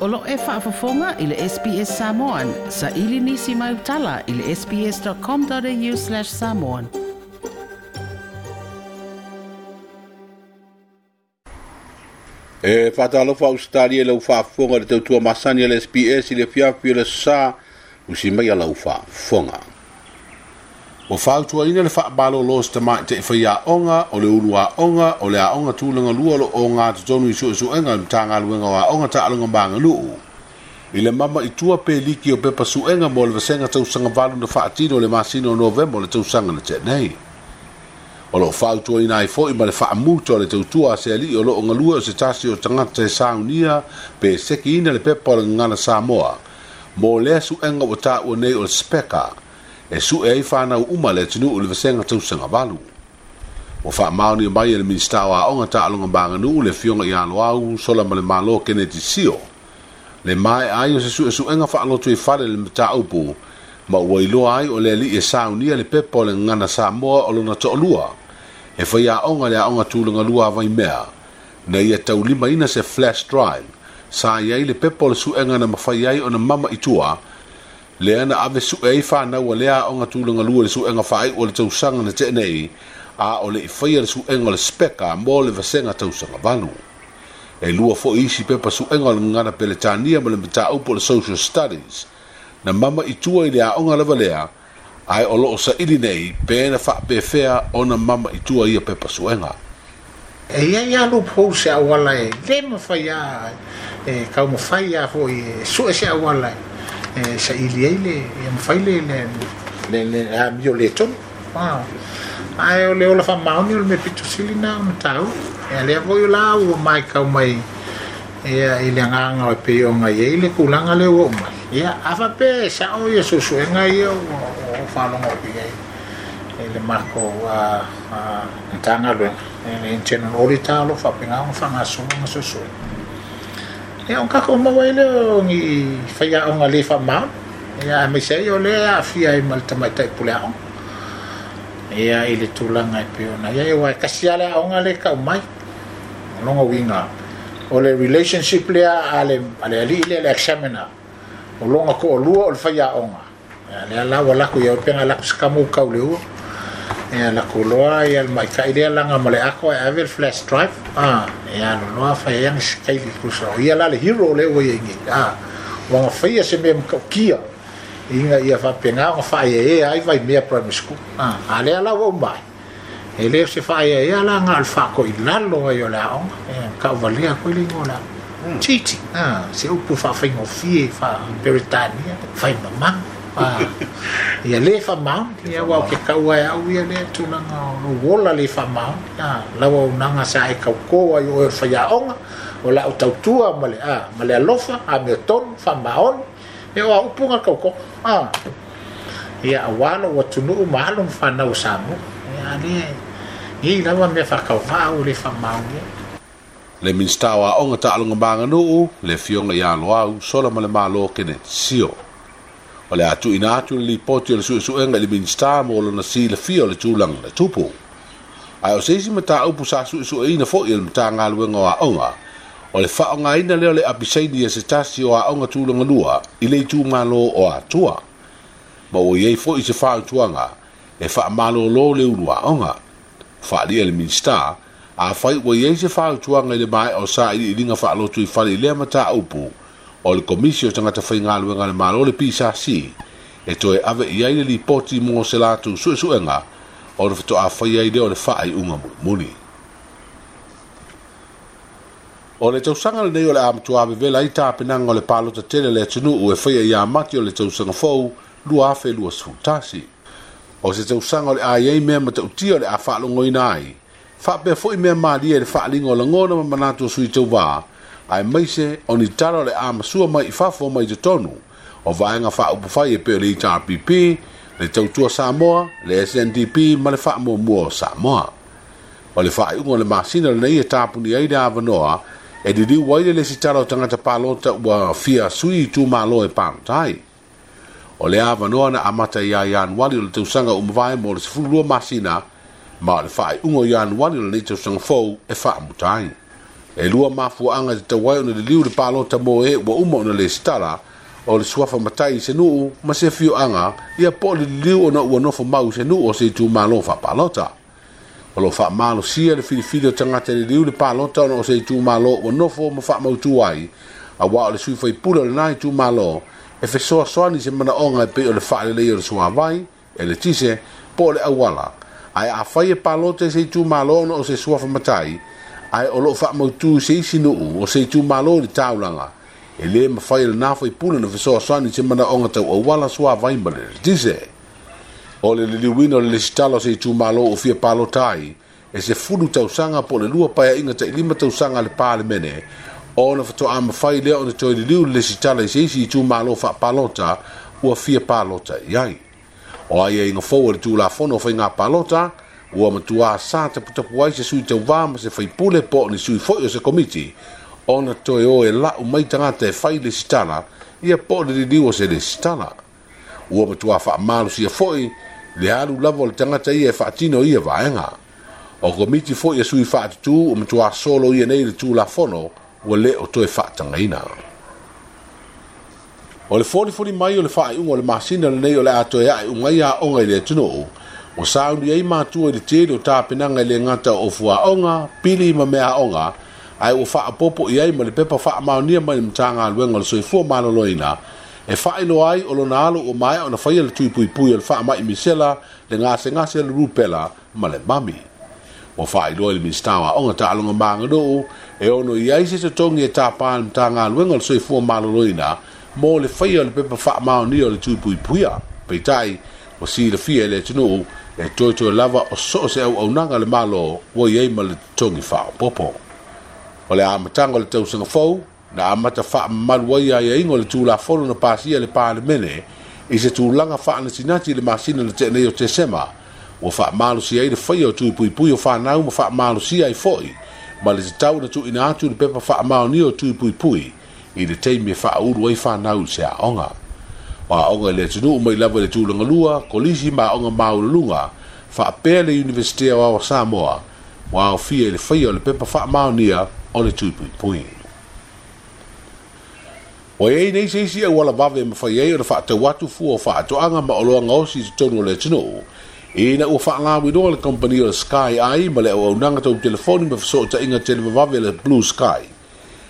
O lo o e faafofoga i le SBS Samoan. Saili nisi mai tala i le sbs.com.au/samoan. E faatalofa Ausetalia i lau faafofoga i le tautua masani a le SBS i le afiafi o le Aso Sa, usi mai a lau faafofoga. Ua fautuaina le faamalolo o se tamaitai faiaoga o le ulu aoga o le aoga tulaga lua o lo o ogatotonu i suesuega a le Matagaluega o Aoga Taaloga ma Aganuu i le mama i tua pe liki o pepa suega mo le vasega tausaga valu na faatino i le masina o Novema o le tausaga na tea nei. O lo o fautuaina ai foi ma le faamuta o le tautua a se alii o lo o galue o se tasi o tagata e saunia pe e sekiina le pepa o le Gagana Samoa mo lea suega ua taua nei o le SPECA e sue ai fanau uma a le atunuu i le vasega tausaga valu. Ua faamaonia mai e le Minisita o Aoga, Taaloga ma Aganuu, le Afioga ia Loau Solamalemalo Keneti Sio, le maea ai o se suesuega faalotoifale i le mataupu ma ua iloa ai o le alii e saunia le pepa o le Gagana Samoa o lona toalua e faiaoga i le aoga tulaga lua a Vaimea na ia taulimaina se flash drive sa i ai le pepa o le suega na mafai ai ona mama i tua lea na ave sue ai fanau a lea aoga tulaga lua i le suega faaiu o le tausaga na tea nei a o le i faia le suega o le SPECA mo le vasega tausaga valu. E lua foi isi pepa suega o le Gagana Peretania ma le mataupu o le Social Studies na mama i tua i le aoga lava lea, ae o lo o saili nei pe na faapefea ona mama i tua ia pepa suega. E i ai lava loophole se auala e le mafai lava e taumafai lava foi e sue se auala e saili ai le ia mafai le le le amio le tonu. Ae o le ola faamaoni o le mea pito sili lena ona taua. Ia lea foi o la ua matau mai ia i le agaga e pei ona i ai le tulaga lea ua oo mai. Ia a faapea e sao ia suesuega ia ua ou faalogo atu i ai i le matou Matagaluega, le internal auditor o lo o faapena ona faagasolo ana suesuega. Ia ona tatou maua ai lea o ni faiaoga le faamaoni, ia aemaise ai o lea e aafia ai ma le tamaitai pule aoga. Ia i le tulaga e pei ona i ai, aua e tasi lava le aoga lea e tau mai. O lona uiga, o le relationship lea a le, a le alii lea, le examiner, o lona toalua o le faiaoga. Ia lea la ua laku ia pe na laku se kamu kau le ua. Ia laku loa ia le maitai lea laga ma le ato e ave le flash drive. Ah, ia alu loa fai ai ana sikaili tusa o ia la le hero lea ua i ai nei. Ah, ua na faia se mea matautia ina ia faapena ona faaeaea ai Vaimea Primary School. Ah, a lea la ua uma ai. E le o se faaeaea la na o le faatoilalo ai o le aoga. Ia, tauvalea foi le igoa o le aoga. Cheating, ah, se upu faafaigofie faa-Peretania, fai mamalu. Ah, ia le faamaoni, ia aua ou te tau ai au ia lea tulaga o lou ola le faamaoni. Ah, lau auaunaga sa e tautō ai o oe o le faiaoga, o lau tautua ma le, ah, ma le alofa, amiotonu, faamaoni. Ia o a upu na tautoga. Ah, ia aua lou atunuu ma alo ma fanau o Samoa. Ia a lea e i ai lava mea faatauvaa ua le faamaoni ai. Le Minisita o Aoga, Taaloga ma Aganuu, le Afioga ia Loau Solamalemalo Kenneth Sio. O le a tuuina atu le lipoti o le suesuega i le Minisita mo lona silafia o le tulaga na tupu. Ae o se isi mataupu sa suesueina foi e le Matagaluega o Aoga, o le faaaogaina lea o le apisaini e se tasi o aoga tulaga lua i le itumalo o Atua. Ma ua i ai foi se fautuaga e faamalolo le ulu aoga. Faaalia le Minisita, afai ua i ai se fautuaga i le maea o sailiiliga faalotoifale i lea mataupu, o le Komisi o Tagata Faigaluega a le Malo, le PSC, e toe ave i ai le lipoti mo se latou suesuega ona faatoa faia ai lea o le faaiuga mulimuli. O le tausaga lenei o le a matua vevela ai tapenaga o le palota tele a le atunuu e faia ia Mati o le tausaga fou 2021. O se tausaga o le a i ai mea matautia o le a faalogoina ai, faapea foi mea malie i le faaaliga o lagona ma manatu o sui tauva, aemaise o ni tala o le a masua mai i fafo ma i totonu o vaega faaupufai e pei o le HRPP, le Tautua Samoa, le SNDP ma le Faamuamua o Samoa. O le faaiuga o le masina lenei e tapuni ai le avanoa e liliu ai le lesitala o tagata palota ua fia sui itumalo e palota ai. O le avanoa na amata ia Ianuari o le tausaga ua mavae mo le 12 masina, ma o le faaiuga o Ianuari o lenei tausaga fou e faamuta ai. E lua mafuaaga e tatau ai ona liliu le palota mo e ua uma ona lesitala, o le suafa matai i se nuu ma se afioaga, ia po o le liliu ona ua nofo mau i se nuu o se itumalo faapalota. O lo o faamalosia le filifili o tagata e liliu le palota ona o se itumalo ua nofo ma faamautu ai, auā o le sui faipule o lena itumalo e fesoasoani i se manaoga e pei o le faaleleia o le suavai, eletise, po o le auala. Ae afai e palota i se itumalo ona o se suafa matai, ae o lo o faamautu i se isi nuu o se itumalo i le taulaga, e le mafai e lena faipule ona fesoasoani i se manaoga tau auala, suavai ma le eletise. O le liliuina o le lesitala o se itumalo ua fia palota ai, e 10 tausaga po o le 2 paeaiga tai 5 tausaga a le Palemene, ona faatoa mafai lea ona toe liliu le lesitala i se isi itumalo faapalota ua fia palota i ai. O aiaiga fou o le Tulafono o Faiga Palota, ua matuā sa taputapu ai se sui tauvā ma se faipule po o ni sui foi o se komiti ona toe o e lau mai tagata e fai lesitala ia po o le liliu o se lesitala. Ua matuā faamalosia foi le alu lava o le tagata ia e faatino ia vaega. O komiti foi a sui faatutū ua matuā soloia nei le Tulafono ua le o toe faatagaina. O le folifoli mai o le faaiuga o le masina lenei o le a toe ae uma ai aoga i le atunuu, ua sauni ai matua i le tele o tapenaga e le gata o fuaoga, pili ma meaaoga, ae ua faaopoopo i ai ma le pepa faamaonia mai le Matagaluega o le Soifua Maloloina e faailoa ai o lona alo ua maea ona faia le tui puipui o le faamai misela, le gasegase o le rupela ma le mami. Ua faailoa i le Minisita o Aoga, Taaloga ma Aganuu e ono i ai se totogi e tapa e le Matagaluega o le Soifua Maloloina mo le faia o le pepa faamaonia o le tui puipuia. Peitai, ua silafia e le atunuu e toetoe lava o so o se auaunaga a le Malo ua i ai ma le totogi faaopoopo. O le amataga o le tausaga fou, na amata faamamalu ai aiaiga o le Tulafono na pasia e le Palemene i se tulaga faanatinati i le masina na tea nei o Tesema, ua faamalosia ai le faia o tui puipui o fanau ma faamalosia ai foi ma le tatau ona tuuina atu le pepa faamaonia o tui puipui i le taimi e faaulu ai fanau i se aoga. O aoga i le atunuu mai lava i le tulaga lua, kolisi ma aoga maualuluga, faapea le Iunivesite Aoao o Samoa, ua aofia i le faia o le pepa faamaonia o le tui puipui. Ua i ai nei se isi auala vave e mafai ai ona faatau atu fua o faatoaga ma oloa gaosi i totonu o le atunuu, ina ua faalauiloa le kamupani o le Sky Eye ma le auaunaga tau telefoni ma fesootaiga televavave a le Blue Sky,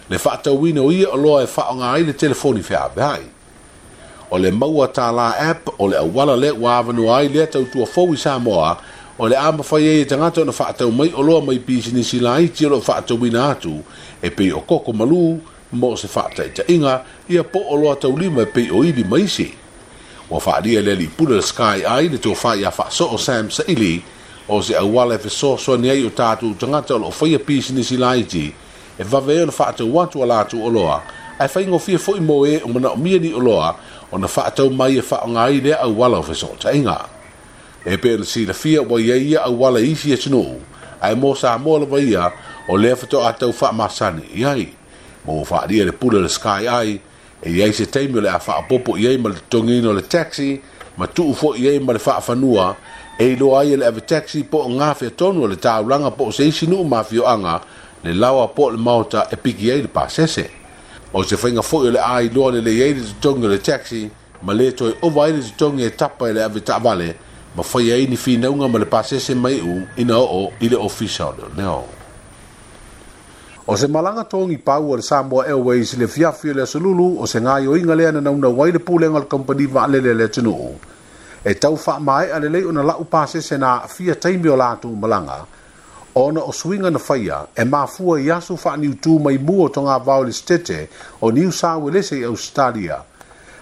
le faatauina o ia oloa e faaaoga ai le telefoni feaveai. O le Maua Tālā App o le auala lea ua avanoa ai lea tautua fou i Samoa, o le a mafai ai e tagata ona faatau mai oloa mai pisinisi laiti o lo o faatauina atu e pei o koko malū, mo se faataitaiga, ia po o oloa taulima e pei o ili ma isi. Ua faaalia e le alii pule o le Sky Eye le tofa ia Faasoo Sam Saili, o se auala e fesoasoani ai o tatou tagata o lo o faia pisinisi laiti e vave ai ona faatau atu a latou oloa, ae faigofie foi mo e o manaomia ni oloa ona faatau mai e faaaoga ai lea auala o fesootaiga. E pei ona silafia ua i ai ia auala i isi atunuu, ae mo Samoa lava ia, o lea faatoa tau faamasani i ai. Ma ua faaalia le pule o le Sky Eye, e i ai se taimi o le a faaopoopo i ai ma le totogiina o le taxi, ma tuu foi i ai ma le faafanua, e iloa ai e le ave taxi po o gafea tonu o le taulaga po o se isi nuu ma afioaga, le laoa po o le maota e piki ai le pasese. O se faiga foi o le a iloa lelei ai le totogi o le taxi, ma le toe ova ai le totogi e tapa e le ave taavale, ma faia ai ni finauga ma le pasese maiu ina oo i le ofisa o leoleo. O se malaga togi pau a le Samoa Airways i le afiafi o le Aso Lulu, o se gaoioiga lea na naunau ai le pulega o le kamupani vaalele a le atunuu e tau faamaea lelei ona lau pasese na aafia taimi o latou malaga, ona o suiga na faia e mafua i aso faaniutū mai mua o togavao i le Setete o Niu Sauelese i Ausetalia,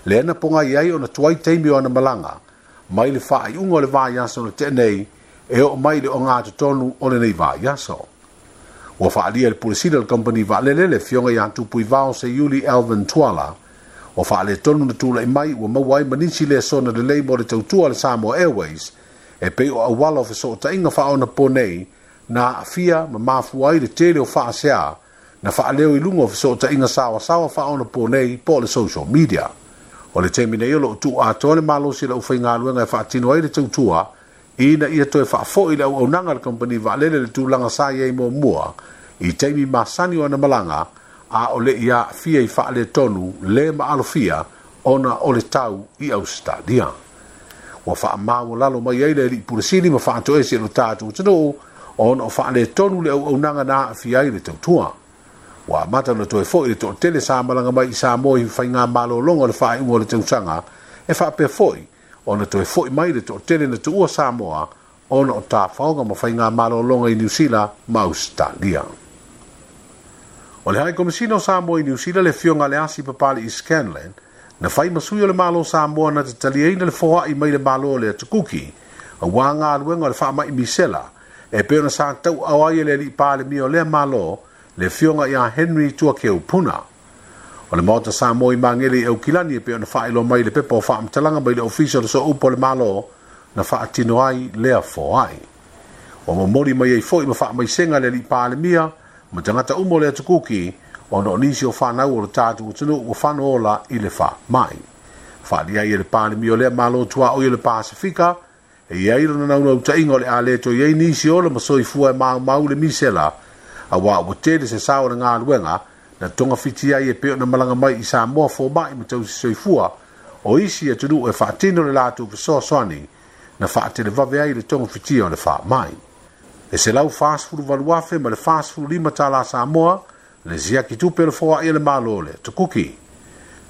lea na pogai ai ona tuai taimi o ana malaga mai le faaiuga o le vaiaso na tea nei e oo mai i le ogatotonu o lenei vaiaso. Ua faaalia e le Pule Sili o le Kamupani Vaalele le Afioga ia Tupuivao Seiuli Alvin Tuala, ua faaletonu na tulai mai ua maua ai ma nisi lesona lelei mo le tautua a le Samoa Airways e pei o auala o fesootaiga faaonapo nei na aafia ma mafua ai le tele o faasea na faaleo i luga o fesootaiga saoasaoa faaonapo nei po o le social media. O le taimi nei o lo o tuu atoa le malosi o le aufaigaluega e faatino ai le tautua ina ia toe faafoi le auaunaga a le kamupani vaalele i le tulaga sa i ai muamua I taimi masani o ana malaga, a o le i aafia i faaletonu le maalofia ona o le tau i Ausetalia. Ua faamaualalo mai ai le alii pule sili ma faatoese i lo tatou atunuu ona o faaletonu le auaunaga na aafia ai le tautua. Ua amata ona toe foi le toatele sa malaga mai i Samoa i faigamalologa o le faaiuga o le tausaga, e faapea foi ona toe foi mai le toatele na tuua Samoa ona o tafaoga ma faigamalologa i Niu Sila ma Ausetalia. O le High Komisina o Samoa i Niu Sila le Afioga ia Leasi Papali'i Scanlan, na fai ma sui o le Malo o Samoa na te taliaina le foai mai le Malo o le Atu Kuki aua galuega o le faamai misela e pei ona sa tauaao ai e le alii Palemia o lea Malo le Afioga ia Henry Tuakeu Puna. O le Maota Samoa i Magele i Aukilani e pei ona faailoa mai i le pepa o faamatalaga mai le Ofisa o le Sooupu o le Malo na faatino ai lea foai. Ua momoli mai ai foi ma faamaisega le alii Palemia ma tagata uma o le Atu Kuki ona o nisi o fanau o le tatou atunuu ua fanoola i le faamai. Faaalia ai e le Palemia o lea Malo tuaoi o le Pasefika e i ai lona naunautaiga o le a le toe i ai nisi ola ma soifua e maumau le misela, aua ua tele se sao o le galuega na togafiti ai e pei ona malaga mai i Samoa fomai ma tausi soifua o isi atunuu e faatino le latou fesoasoani na faatelevave ai le togafitia o le faamai. E $148,000 ma le 45 tala Samoa le siaki tupe o le foai a le Malo o le Atu Kuki.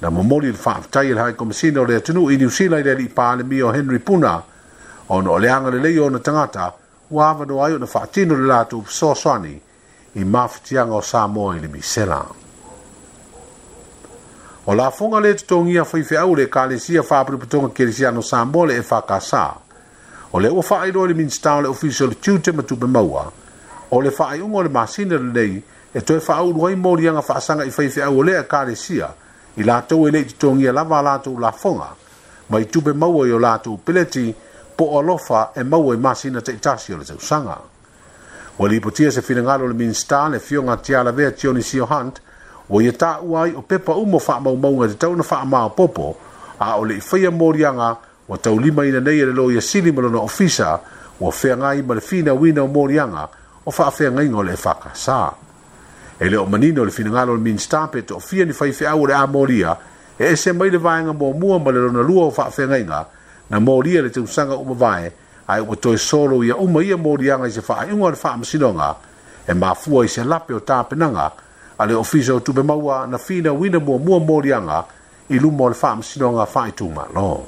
Na momoli le faafetai e le Hai Komisina o le atunuu i Niu Sila i le Alii Palemia o Henry Puna ona o le agalelei o ona tagata ua avanoa ai ona faatino le latou fesoasoani i mafatiaga o Samoa i le misela. O lafoga le totogia a faifeau le Ekalesia Faapotopotoga Kerisiano Samoa le EFKS. O lea ua faailoa e le Minisita o le Ofisa o le Tiute ma Tupe Maua, o le faaiuga o le masina lenei e toe faaulu ai moliaga faasaga i faifeau o lea Ekalesia i latou e le i totogia lava a latou lafoga mai tupe maua i o latou peleti po o alofa e maua i masina taitasi o le tausaga. Ua lipotia se finagalo o le Minisita, le Afioga a Tialavea Tionisio Hunt, ua ia taua ai o pepa uma o faamaumauga e tatau ona faamaopoopo, a o le i faia moliaga ua taulimaina nei e le Loia Sili ma lona Ofisa ua feagai ma le finauina o moliaga o faafeagaiga o le EFKS. E le o manino le finagalo o le Minisita pe toafia ni faifeau o le a molia e ese mai le vaega muamua ma le lona lua o faafeagaiga na molia i le tausaga ua mavae ae ua toe solo ia uma ia moliaga i se faaiuga o le Faamasinoga e mafua i se lape o tapenaga a le Ofisa o Tupe Maua na finauina muamua moliaga i luma o le Faamasinoga Faaitumalo.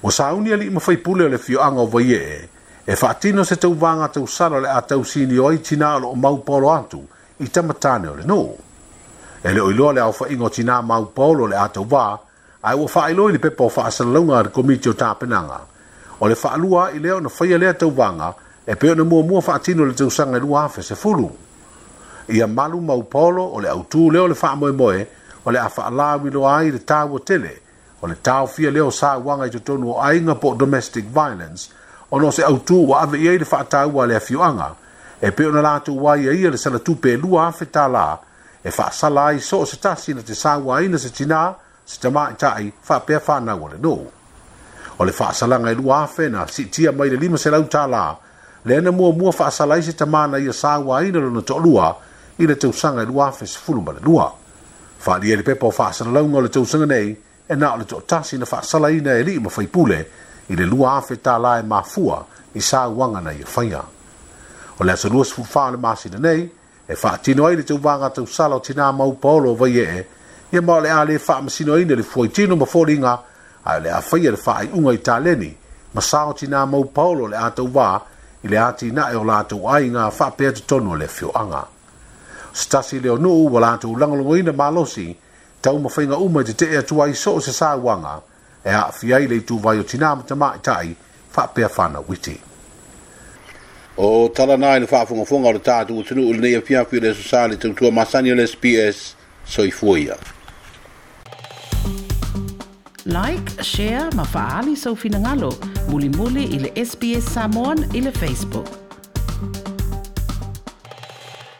Ua sauni alii ma faipule o le afioaga o Vaiee e faatino se tauvaga tausala o le a tausinio ai tinā o lo o mau paolo atu i tama tāne o le nuu. E le o iloa le aofaiga o tinā mau paolo o le a tauvā, ae ua faailoa i le pepa o faasalalauga a le Komiti o Tapenaga, o le faalua ai lea ona faia lea tauvaga e pei ona muamua faatino i le tausaga e 2010. Ia malu mau paolo o le autū lea o le faamoemoe o le a faalauiloa ai le taua tele o le taofia lea o sauaga i totonu o aiga po o domestic violence ona o se autū ua ave i ai le faataua a le afioaga e pei ona latou aiaia le salatupe e $2,000 e faasala ai so o se tasi na te sauaina se tinā, se tamaitai faapea fanau a le nuu. O le faasalaga e 2,000 na siitia mai le $500 lea na muamua faasala ai se tama na ia sauaina lona toalua i le tausaga e 2012. Faaalia i le pepa o faasalalauga o le tausaga nei, e na o le toatasi na faasalaina e alii ma faipule i le $2,000 e mafua i sauaga na ia faia. O le aso 24 o le masina nei, e faatino ai le tauvaga tausala o Tinā Mau Paolo o Vaiee, ia ma o le a le faamasinoina le fuaitino ma foliga, ae o le a faia le faaiuga i taleni ma sao Tinā Mau Paolo o le a tauvā i le atinae o latou aiga faapea totonu o le afioaga. O se tasi lea o nuu ua latou lagolagoina malosi taumafaiga uma e tetee atu ai so o se sauaga e aafia ai le ituvai o tinā ma tamaitai faapea fanau iti. O tala na i le faafogafoga o le tatou atunuu i lenei afiafi o le Aso Sa le tautua masani o le SBS. Soifua ia. Like, share ma faaali sou finagalo mulimuli i le SBS Samoan i le Facebook.